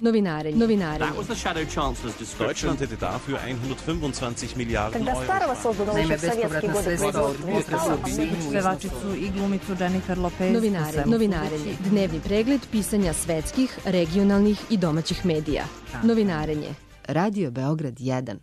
Novinarenje. That was the Shadow Chancellor's description. Deutschland hätte dafür 125 Milijarden Когда Euro. Старого создано еще в советские годы производства. Pevačicu i glumicu Jennifer Lopez. Novinarenje. Dnevni pregled pisanja svetskih, regionalnih i domaćih medija. Novinarenje. Radio Beograd 1.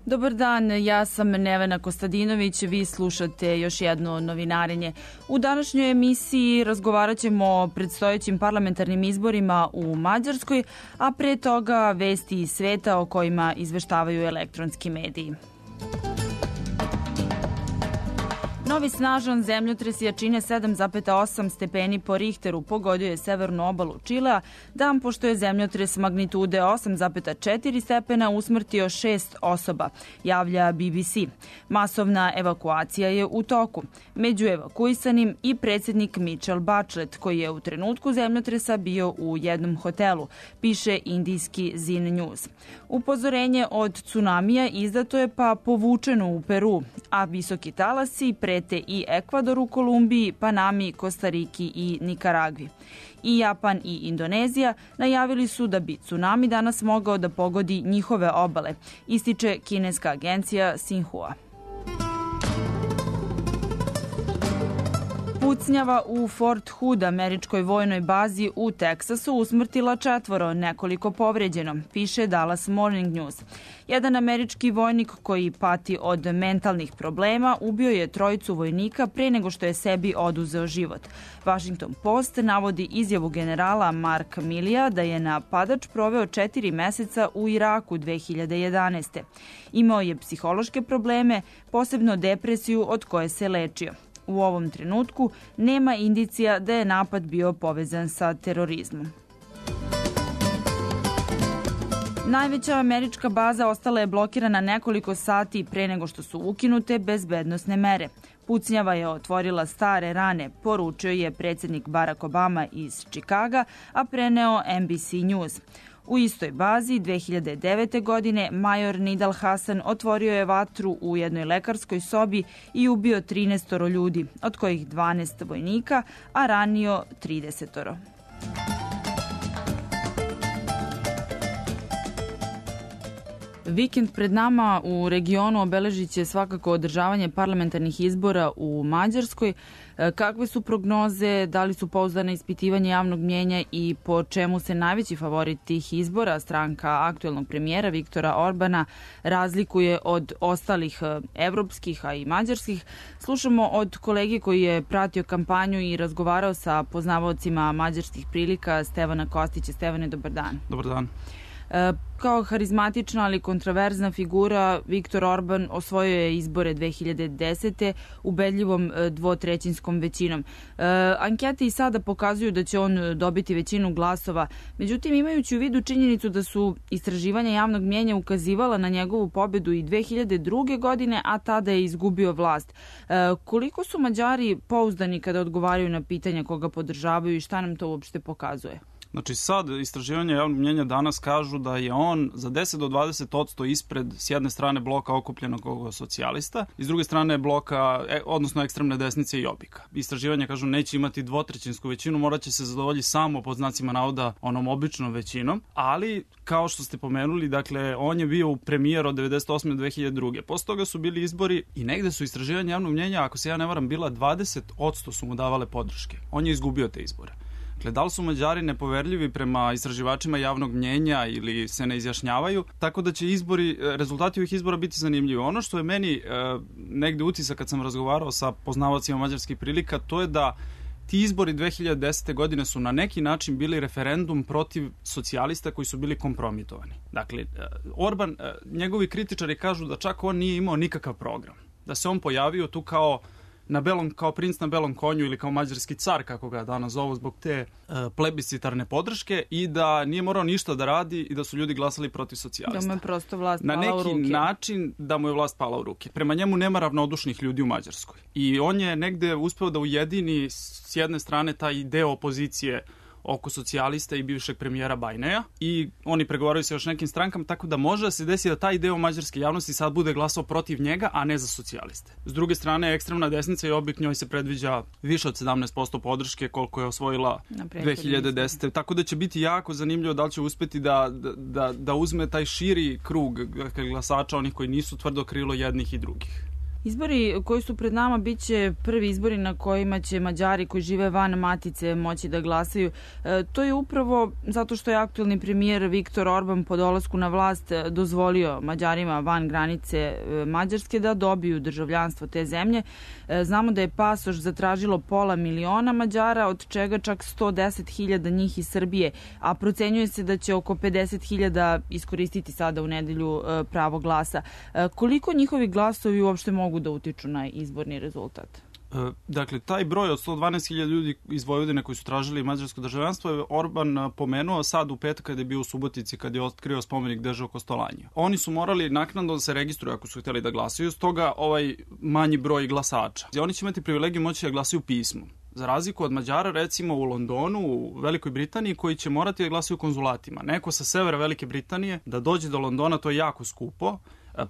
Dobar dan, ja sam Nevena Kostadinović, vi slušate još jedno novinarenje. U današnjoj emisiji razgovarat ćemo o predstojećim parlamentarnim izborima u Mađarskoj, a pre toga vesti iz sveta o kojima izveštavaju elektronski mediji. Novi snažan zemljotres jačine 7,8 stepeni po Richteru pogodio je severnu obalu Čilea, dan pošto je zemljotres magnitude 8,4 stepena usmrtio 6 osoba, javlja BBC. Masovna evakuacija je u toku. Među evakuisanim i predsjednik Michelle Bachelet, koji je u trenutku zemljotresa bio u jednom hotelu, piše indijski Zin News. Upozorenje od tsunamija izdato je pa povučeno u Peru, a visoki talasi prete i Ekvadoru, Kolumbiji, Panami, Kostariki i Nikaragvi. I Japan i Indonezija najavili su da bi tsunami danas mogao da pogodi njihove obale, ističe kineska agencija Xinhua. Pucnjava u Fort Hood, američkoj vojnoj bazi u Teksasu, usmrtila 4, nekoliko povređeno, piše Dallas Morning News. Jedan američki vojnik koji pati od mentalnih problema ubio je 3 vojnika pre nego što je sebi oduzeo život. Washington Post navodi izjavu generala Mark Millija da je napadač proveo 4 meseca u Iraku 2011. Imao je psihološke probleme, posebno depresiju od koje se lečio. U ovom trenutku nema indicija da je napad bio povezan sa terorizmom. Najveća američka baza ostala je blokirana nekoliko sati pre nego što su ukinute bezbednosne mere. Pucnjava je otvorila stare rane, poručio je predsjednik Barack Obama iz Čikaga, a preneo NBC News. U istoj bazi 2009. godine major Nidal Hasan otvorio je vatru u jednoj lekarskoj sobi i ubio 13 ljudi, od kojih 12 vojnika, a ranio 30. Vikend pred nama u regionu obeležit će svakako održavanje parlamentarnih izbora u Mađarskoj. Kakve su prognoze, da li su pouzdane ispitivanje javnog mnjenja i po čemu se najveći favorit tih izbora, stranka aktuelnog premijera Viktora Orbana, razlikuje od ostalih evropskih, a i mađarskih? Slušamo od kolege koji je pratio kampanju i razgovarao sa poznavaocima mađarskih prilika, Stevana Kostića. Stevane, dobar dan. Dobar dan. Kao harizmatična, ali kontroverzna figura, Viktor Orban osvojio je izbore 2010. ubedljivom 2/3 većinom. Ankete i sada pokazuju da će on dobiti većinu glasova. Međutim, imajući u vidu činjenicu da su istraživanja javnog mnjenja ukazivala na njegovu pobedu i 2002. godine, a tada je izgubio vlast. Koliko su Mađari pouzdani kada odgovaraju na pitanja koga podržavaju i šta nam to uopšte pokazuje? Znači sad istraživanja javnog mnjenja danas kažu da je on za 10 do 20% ispred s jedne strane bloka okupljenog socijalista i s druge strane bloka, odnosno ekstremne desnice i Jobbika. Istraživanja kažu neće imati 2/3 većinu, morat će se zadovoljiti samo pod znacima navoda onom običnom većinom, ali kao što ste pomenuli, dakle on je bio premijer od 98. do 2002. Posle toga su bili izbori i negde su istraživanja javnog mnjenja, ako se ja ne varam, bila 20% su mu davale podrške. On je izgubio te izbore. Dakle, da li su Mađari nepoverljivi prema istraživačima javnog mnjenja ili se ne izjašnjavaju, tako da će rezultati ovih izbora biti zanimljivi. Ono što je meni negde utisak kad sam razgovarao sa poznavacima mađarskih prilika, to je da ti izbori 2010. godine su na neki način bili referendum protiv socijalista koji su bili kompromitovani. Dakle, Orban, njegovi kritičari kažu da čak on nije imao nikakav program. Da se on pojavio tu kao princ na belom konju ili kao mađarski car, kako ga danas zovu, zbog te plebiscitarne podrške i da nije morao ništa da radi i da su ljudi glasali protiv socijalista. Da mu je prosto vlast pala u ruke. Na neki način da mu je vlast pala u ruke. Prema njemu nema ravnodušnih ljudi u Mađarskoj. I on je negde uspeo da ujedini s jedne strane taj deo opozicije oko socijalista i bivšeg premijera Bajneja i oni pregovaraju sa još nekim strankama, tako da može da se desi da taj deo mađarske javnosti sad bude glasao protiv njega, a ne za socijaliste. S druge strane, ekstremna desnica i Jobbik, njoj se predviđa više od 17% podrške koliko je osvojila 2010. Tako da će biti jako zanimljivo da li će uspeti da uzme taj širi krug glasača, onih koji nisu tvrdo krilo jednih i drugih. Izbori koji su pred nama bit će prvi izbori na kojima će Mađari koji žive van matice moći da glasaju. To je upravo zato što je aktuelni premijer Viktor Orban po dolasku na vlast dozvolio Mađarima van granice Mađarske da dobiju državljanstvo te zemlje. Znamo da je pasoš zatražilo 500.000 Mađara, od čega čak 110.000 njih iz Srbije, a procenjuje se da će oko 50.000 iskoristiti sada u nedelju pravo glasa. Koliko njihovi glasovi uopšte mogu da utiču na izborni rezultat? Dakle, taj broj od 112.000 ljudi iz Vojvodine koji su tražili mađarsko državljanstvo je Orban pomenuo sad u petak kada je bio u Subotici, kada je otkrio spomenik Dežo Kostolanje. Oni su morali naknadno da se registruju ako su htjeli da glasaju, stoga ovaj manji broj glasača. Oni će imati privilegiju moći da glasaju pismom. Za razliku od Mađara, recimo u Londonu, u Velikoj Britaniji, koji će morati da glasaju konzulatima. Neko sa severa Velike Britanije da dođe do Londona, to je jako skupo.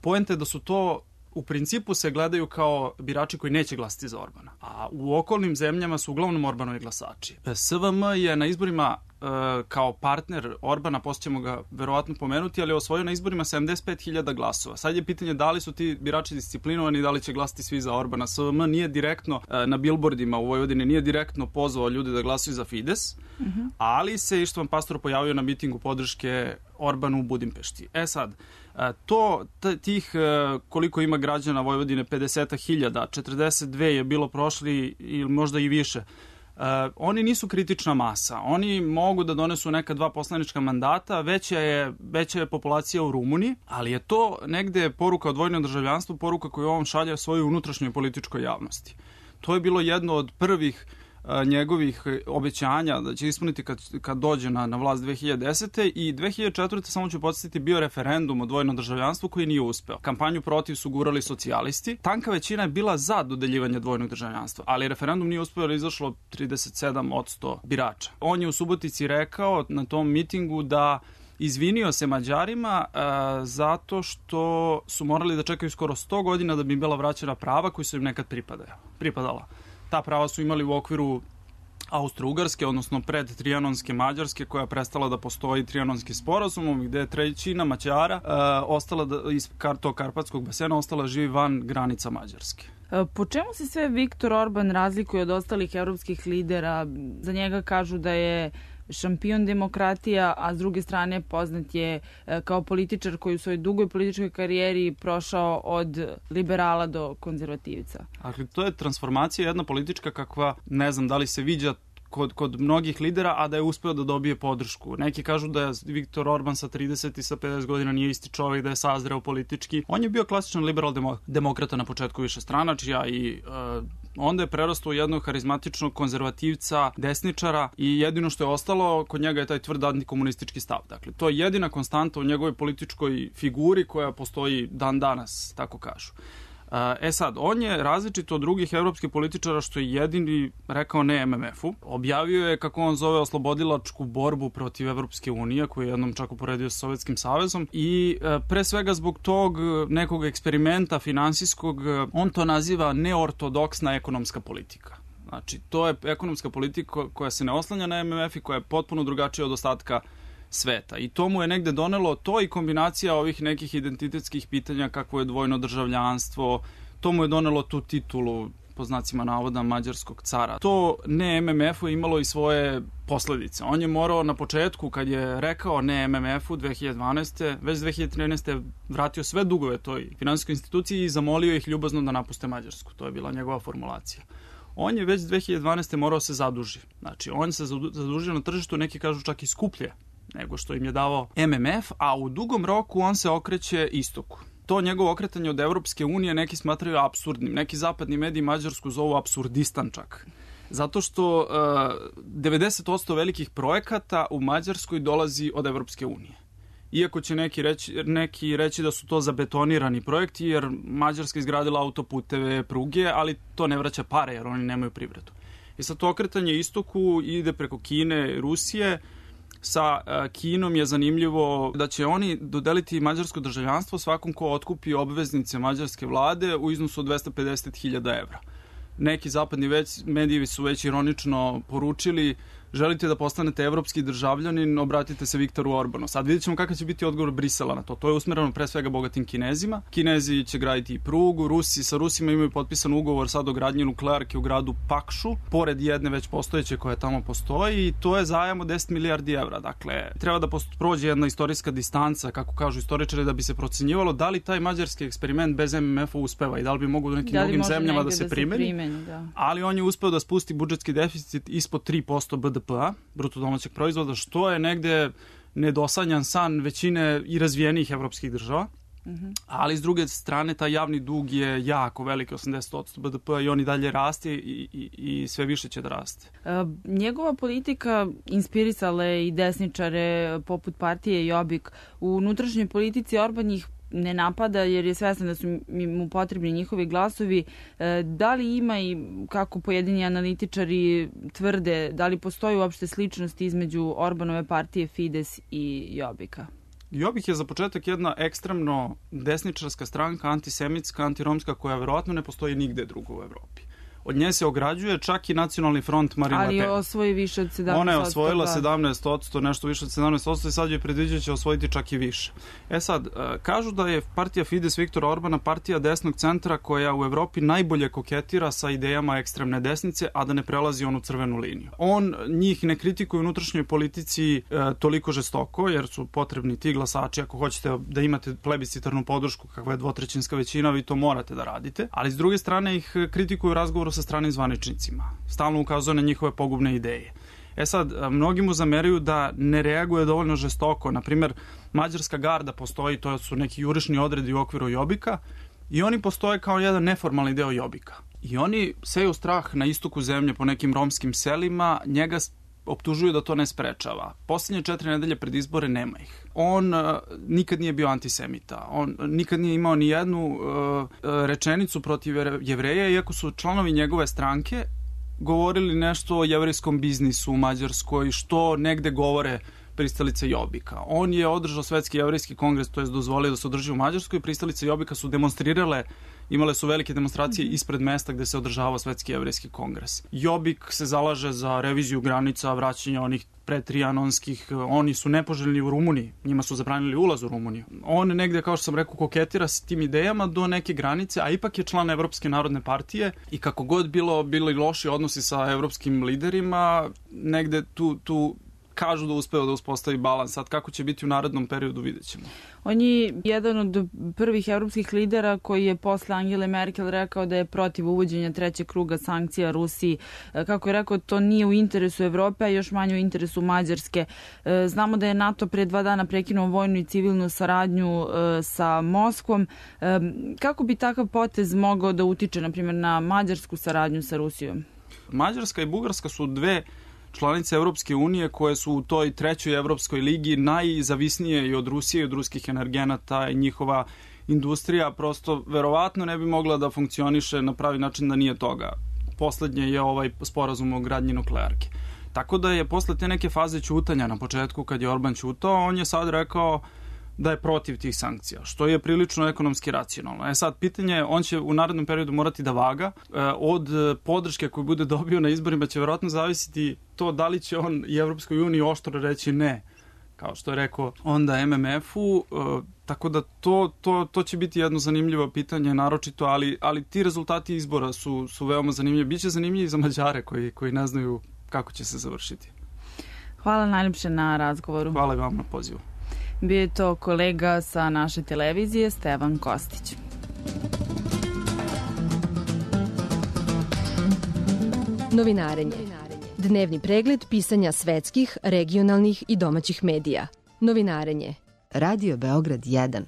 Poenta je da su to u principu se gledaju kao birači koji neće glasati za Orbana. A u okolnim zemljama su uglavnom Orbanovi glasači. SVM je na izborima kao partner Orbana, poslije ćemo ga verovatno pomenuti, ali je osvojio na izborima 75.000 glasova. Sad je pitanje da li su ti birači disciplinovani i da li će glasati svi za Orbana. SVM nije direktno na billboardima u Vojvodini, nije direktno pozvao ljude da glasuju za Fides, ali se Ištvan Pastor pojavio na mitingu podrške Orbanu u Budimpešti. Sad, tih koliko ima građana Vojvodine, 50.000, 42 je bilo prošli ili možda i više. Oni nisu kritična masa. Oni mogu da donesu neka 2 poslanička mandata, veća je populacija u Rumuniji, ali je to negde poruka o dvojnom državljanstvu, poruka koju on šalje svojoj unutrašnjoj političkoj javnosti. To je bilo jedno od prvih njegovih obećanja da će ispuniti kad dođe na vlast 2010. I 2004. samo ću podsjetiti bio referendum o dvojnom državljanstvu koji nije uspeo. Kampanju protiv su gurali socijalisti. Tanka većina je bila za dodeljivanje dvojnog državljanstva, ali referendum nije uspeo jer je izašlo 37% birača. On je u Subotici rekao na tom mitingu da izvinio se Mađarima zato što su morali da čekaju skoro 100 godina da bi im bila vraćena prava koji su im nekad pripadala. Ta prava su imali u okviru Austro-Ugarske, odnosno pred Trijanonske Mađarske, koja je prestala da postoji Trijanonskim sporazumom, gde je trećina Mađara ostala iz tog Karpatskog basena ostala živi van granica Mađarske. Po čemu se sve Viktor Orban razlikuje od ostalih evropskih lidera? Za njega kažu da je šampion demokratija, a s druge strane poznat je kao političar koji u svojoj dugoj političkoj karijeri prošao od liberala do konzervativca. Dakle, to je transformacija jedna politička kakva, ne znam da li se viđa kod mnogih lidera, a da je uspeo da dobije podršku. Neki kažu da je Viktor Orban sa 30 i sa 50 godina nije isti čovjek, da je sazreo politički. On je bio klasičan liberal-demokrata na početku višestranačja i onda je prerastao u jednog harizmatičnog konzervativca, desničara i jedino što je ostalo kod njega je taj tvrd antikomunistički stav. Dakle, to je jedina konstanta u njegovoj političkoj figuri koja postoji dan danas, tako kažu. Sad, on je različit od drugih evropskih političara što je jedini rekao ne MMF-u. Objavio je, kako on zove, oslobodilačku borbu protiv Evropske unije, koju je jednom čak uporedio sa Sovjetskim savezom i pre svega zbog tog nekog eksperimenta finansijskog, on to naziva neortodoksna ekonomska politika. Znači, to je ekonomska politika koja se ne oslanja na MMF i koja je potpuno drugačija od ostatka sveta. I to mu je negde donelo to i kombinacija ovih nekih identitetskih pitanja kakvo je dvojno državljanstvo, to mu je donelo tu titulu, po znacima navoda, mađarskog cara. To ne MMF-u je imalo i svoje posledice. On je morao na početku, kad je rekao ne MMF-u 2012. već 2013. vratio sve dugove toj finansijskoj instituciji i zamolio ih ljubazno da napuste Mađarsku. To je bila njegova formulacija. On je već 2012. morao se zaduži. Znači, on se zadužio na tržištu, neki kažu čak i skuplje nego što im je davao MMF, a u dugom roku on se okreće istoku. To njegovo okretanje od Evropske unije neki smatraju apsurdnim. Neki zapadni mediji Mađarsku zovu apsurdistan čak. Zato što 90% velikih projekata u Mađarskoj dolazi od Evropske unije. Iako će neki reći da su to zabetonirani projekti, jer Mađarska izgradila autoputeve, pruge, ali to ne vraća pare jer oni nemaju privredu. I sad to okretanje istoku ide preko Kine i Rusije. Sa Kinom je zanimljivo da će oni dodeliti mađarsko državljanstvo svakom ko otkupi obveznice mađarske vlade u iznosu od 250.000 evra. Neki zapadni mediji su već ironično poručili: želite da postanete evropski državljanin, obratite se Viktoru Orbanu. Sad vidjet ćemo kakav će biti odgovor Brisela na to. To je usmereno pre svega bogatim Kinezima. Kinezi će graditi i prugu, sa Rusima imaju potpisan ugovor sad o gradnji nuklearke u gradu Pakšu, pored jedne već postojeće koja tamo postoji, i to je zajam od 10 milijardi evra. Dakle, treba da prođe jedna istorijska distanca, kako kažu istoričari, da bi se procenjivalo da li taj mađarski eksperiment bez MMF-a uspeva i da li bi mogu u nekim drugim zemljama da se primeni. Ali on je uspeo da spusti budžetski deficit ispod 3% BDP-a, bruto domaćeg proizvoda, što je negde nedosanjan san većine i razvijenijih evropskih država. Ali s druge strane taj javni dug je jako veliki, 80% BDP-a, i on i dalje raste i sve više će da raste. Njegova politika inspirisala je i desničare poput partije Jobbik. U unutrašnjoj politici Orban ih ne napada jer je svestan da su mu potrebni njihovi glasovi. Da li ima i kako pojedini analitičari tvrde, da li postoji uopšte sličnost između Orbanove partije Fides i Jobbika? Jobbik je za početak jedna ekstremno desničarska stranka, antisemitska, antiromska, koja verovatno ne postoji nigde drugo u Evropi. Od nje se ograđuje čak i Nacionalni front Marine Le Pen. Ali osvoji više od 17%. Ona je osvojila 17%, nešto više od 17%, i sad je predviđa će osvojiti čak i više. Sad, kažu da je partija Fides Viktora Orbana partija desnog centra koja u Evropi najbolje koketira sa idejama ekstremne desnice, a da ne prelazi onu crvenu liniju. On njih ne kritikuje u unutrašnjoj politici toliko žestoko, jer su potrebni ti glasači. Ako hoćete da imate plebiscitarnu podršku, kakva je 2/3 većina, vi to morate da radite. Ali s druge strane ih kritikuju u razgovoru sa stranim zvaničnicima. Stalno ukazuje na njihove pogubne ideje. Sad, mnogi mu zameraju da ne reaguje dovoljno žestoko. Naprimer, mađarska garda postoji, to su neki jurišni odredi u okviru Jobbika, i oni postoje kao jedan neformalni deo Jobbika. I oni seju strah na istoku zemlje po nekim romskim selima, njega optužuju da to ne sprečava. Poslednje 4 nedelje pred izbore nema ih. On nikad nije bio antisemita. On nikad nije imao ni jednu rečenicu protiv Jevreja, iako su članovi njegove stranke govorili nešto o jevrejskom biznisu u Mađarskoj, što negde govore pristalice Jobbika. On je održao Svetski jevrejski kongres, to je dozvolio da se održi u Mađarskoj. Pristalice Jobbika su demonstrirale, imale su velike demonstracije ispred mesta gde se održavao Svetski jevrejski kongres. Jobbik se zalaže za reviziju granica, vraćanje onih pretrijanonskih, oni su nepoželjni u Rumuniji, njima su zabranili ulaz u Rumuniju. On negde, kao što sam rekao, koketira s tim idejama do neke granice, a ipak je član Evropske narodne partije, i kako god bili loši odnosi sa evropskim liderima, negde tu kažu da uspeo da uspostavi balans. Sad kako će biti u narednom periodu, vidjet ćemo. On je jedan od prvih evropskih lidera koji je posle Angele Merkel rekao da je protiv uvođenja 3. kruga sankcija Rusiji. Kako je rekao, to nije u interesu Evrope, a još manje u interesu Mađarske. Znamo da je NATO pre 2 dana prekinuo vojnu i civilnu saradnju sa Moskvom. Kako bi takav potez mogao da utiče, na primjer, na mađarsku saradnju sa Rusijom? Mađarska i Bugarska su dve članice Evropske unije koje su u toj 3. Evropskoj ligi najzavisnije i od Rusije i od ruskih energenata, i njihova industrija prosto verovatno ne bi mogla da funkcioniše na pravi način da nije toga. Poslednje je ovaj sporazum o gradnji nuklearke. Tako da je posle te neke faze ćutanja na početku, kad je Orban ćutao, on je sad rekao da je protiv tih sankcija, što je prilično ekonomski racionalno. Sad, pitanje je, on će u narednom periodu morati da vaga. Od podrške koju bude dobio na izborima će verovatno zavisiti to da li će on i Evropskoj uniji oštro reći ne, kao što je rekao onda MMF-u, tako da to će biti jedno zanimljivo pitanje, naročito, ali ti rezultati izbora su veoma zanimljivi. Biće zanimljivi za Mađare koji ne znaju kako će se završiti. Hvala najljepše na razgovoru. Hvala i vam na pozivu. Bio je to kolega sa naše televizije, Stevan Kostić. Novinarenje. Dnevni pregled pisanja svetskih, regionalnih i domaćih medija. Novinarenje. Radio Beograd 1.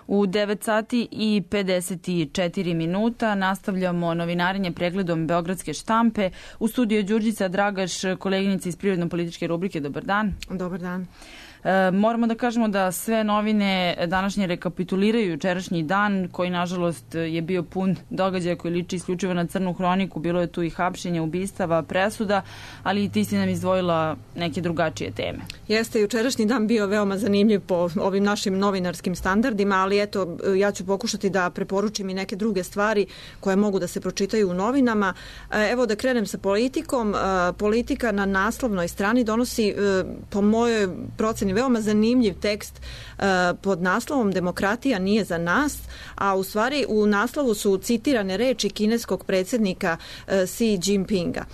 U 9 sati i 54 minuta nastavljamo novinarenje pregledom Beogradske štampe. U studiju je Đurđica Dragaš, koleginica iz Privredno-političke rubrike. Dobar dan. Dobar dan. Moramo da kažemo da sve novine današnje rekapituliraju jučerašnji dan, koji nažalost je bio pun događaja koji liči isključivo na crnu hroniku. Bilo je tu i hapšenja, ubistava, presuda, ali i ti si nam izdvojila neke drugačije teme. Jeste, jučerašnji dan bio veoma zanimljiv po ovim našim novinarskim standardima, ali eto, ja ću pokušati da preporučim i neke druge stvari koje mogu da se pročitaju u novinama. Evo da krenem sa politikom. Politika na naslovnoj strani donosi, po mojoj proceni, veoma zanimljiv tekst pod naslovom Demokratija nije za nas, a u stvari u naslovu su citirane reči kineskog predsjednika Xi Jinpinga.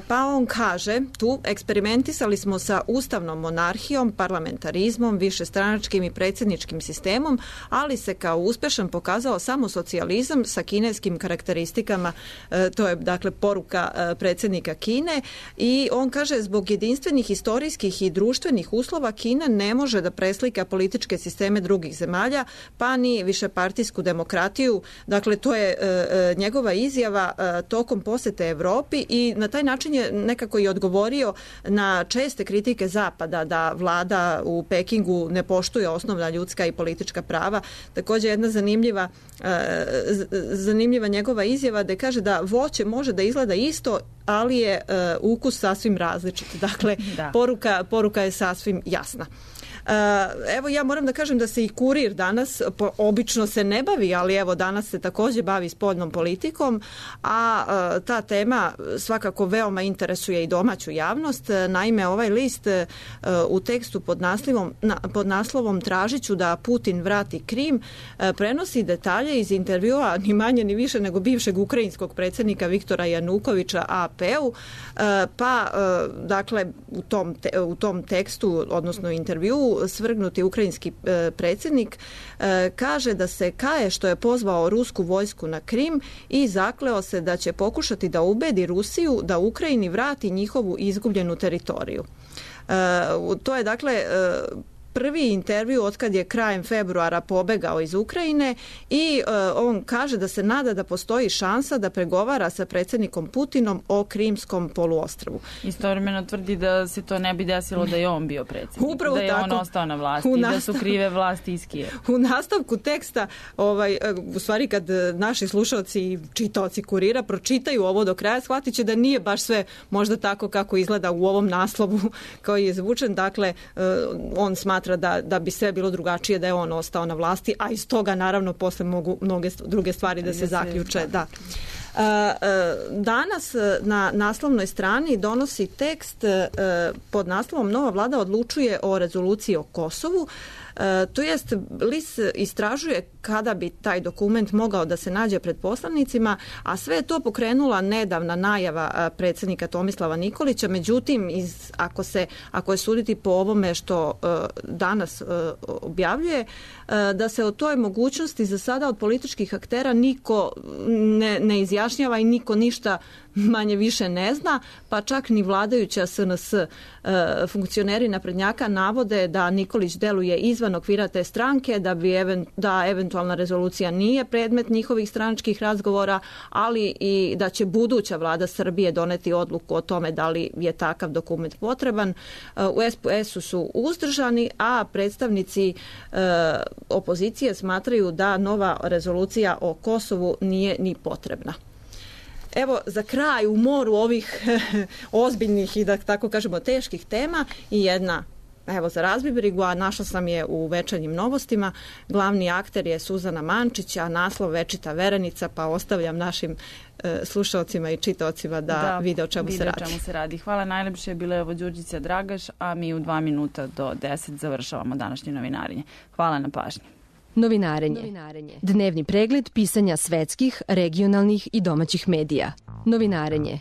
Pa on kaže tu, eksperimentisali smo sa ustavnom monarhijom, parlamentarizmom, višestranačkim i predsjedničkim sistemom, ali se kao uspešan pokazao samo socijalizam sa kineskim karakteristikama. To je dakle poruka predsjednika Kine i on kaže zbog jedinstvenih historijskih i društvenih uslova Kina ne može da preslika političke sisteme drugih zemalja, pa ni višepartijsku demokratiju. Dakle, to je njegova izjava tokom posete Evropi i na taj način je nekako i odgovorio na česte kritike Zapada da vlada u Pekingu ne poštuje osnovna ljudska i politička prava. Također jedna zanimljiva njegova izjava da kaže da voće može da izgleda isto, ali je ukus sasvim različit. Dakle, poruka je sasvim jasna. Evo ja moram da kažem da se i Kurir danas obično se ne bavi, ali evo danas se također bavi spoljnom politikom, a ta tema svakako veoma interesuje i domaću javnost. Naime, ovaj list u tekstu pod naslovom Tražit ću da Putin vrati Krim prenosi detalje iz intervjua ni manje ni više nego bivšeg ukrajinskog predsjednika Viktora Janukovića AP-u, pa dakle u tom tekstu, odnosno intervjuu, svrgnuti ukrajinski predsjednik kaže da se kaje što je pozvao rusku vojsku na Krim i zakleo se da će pokušati da ubedi Rusiju da Ukrajini vrati njihovu izgubljenu teritoriju. To je dakle prvi intervju otkad je krajem februara pobegao iz Ukrajine i on kaže da se nada da postoji šansa da pregovara sa predsjednikom Putinom o Krimskom poluostrvu. Istovremeno tvrdi da se to ne bi desilo da je on bio predsjednik, upravo da je tako. On ostao na vlasti i da su krive vlasti iz Kijeva. U nastavku teksta, u stvari kad naši slušalci i čitaoci Kurira pročitaju ovo do kraja, shvatit će da nije baš sve možda tako kako izgleda u ovom naslovu koji je zvučen. Dakle, on smatra da bi sve bilo drugačije da je on ostao na vlasti, a iz toga naravno posle mogu mnoge druge stvari da se zaključe. Da. Danas na naslovnoj strani donosi tekst pod naslovom Nova vlada odlučuje o rezoluciji o Kosovu. To jest, list istražuje kada bi taj dokument mogao da se nađe pred poslanicima, a sve je to pokrenula nedavna najava predsjednika Tomislava Nikolića. Međutim, ako je suditi po ovome što danas objavljuje, da se o toj mogućnosti za sada od političkih aktera niko ne izjašnjava i niko ništa manje više ne zna, pa čak ni vladajuća SNS. Funkcioneri naprednjaka navode da Nikolić deluje izvan okvira te stranke, da eventualna rezolucija nije predmet njihovih stranačkih razgovora, ali i da će buduća vlada Srbije doneti odluku o tome da li je takav dokument potreban. U SPS-u su uzdržani, a predstavnici opozicije smatraju da nova rezolucija o Kosovu nije ni potrebna. Evo, za kraj u moru ovih ozbiljnih i da tako kažemo teških tema i jedna, evo za razbibrigu, a našla sam je u Večernjim novostima. Glavni akter je Suzana Mančić, a naslov Večita verenica, pa ostavljam našim slušalcima i čitaocima da vide o čemu se radi. Hvala najlepše, bila je ovo Đurđica Dragaš, a mi u 2 minuta do 10 završavamo današnje novinarenje. Hvala na pažnji. Novinarenje. Dnevni pregled pisanja svetskih, regionalnih i domaćih medija. Novinarenje.